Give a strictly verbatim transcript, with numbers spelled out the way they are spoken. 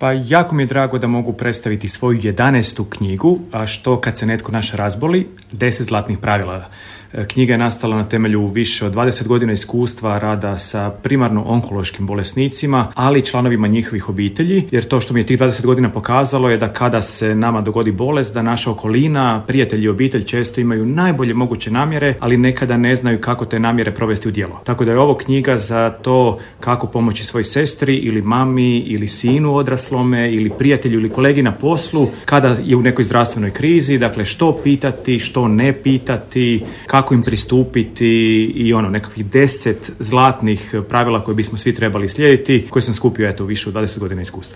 Pa jako mi je drago da mogu predstaviti svoju jedanaestu knjigu, a što kad se netko naš razboli, deset zlatnih pravila. Knjiga je nastala na temelju više od dvadeset godina iskustva rada sa primarno onkološkim bolesnicima, ali i članovima njihovih obitelji, jer to što mi je tih dvadeset godina pokazalo je da kada se nama dogodi bolest, da naša okolina, prijatelji i obitelj često imaju najbolje moguće namjere, ali nekada ne znaju kako te namjere provesti u djelo. Tako da je ovo knjiga za to kako pomoći svoj sestri ili mami ili sinu odraslome ili prijatelju ili kolegi na poslu kada je u nekoj zdravstvenoj krizi, dakle što pitati, što ne pitati, kako kako im pristupiti i ono nekakvih deset zlatnih pravila koje bismo svi trebali slijediti, koje sam skupio eto više od dvadeset godina iskustva.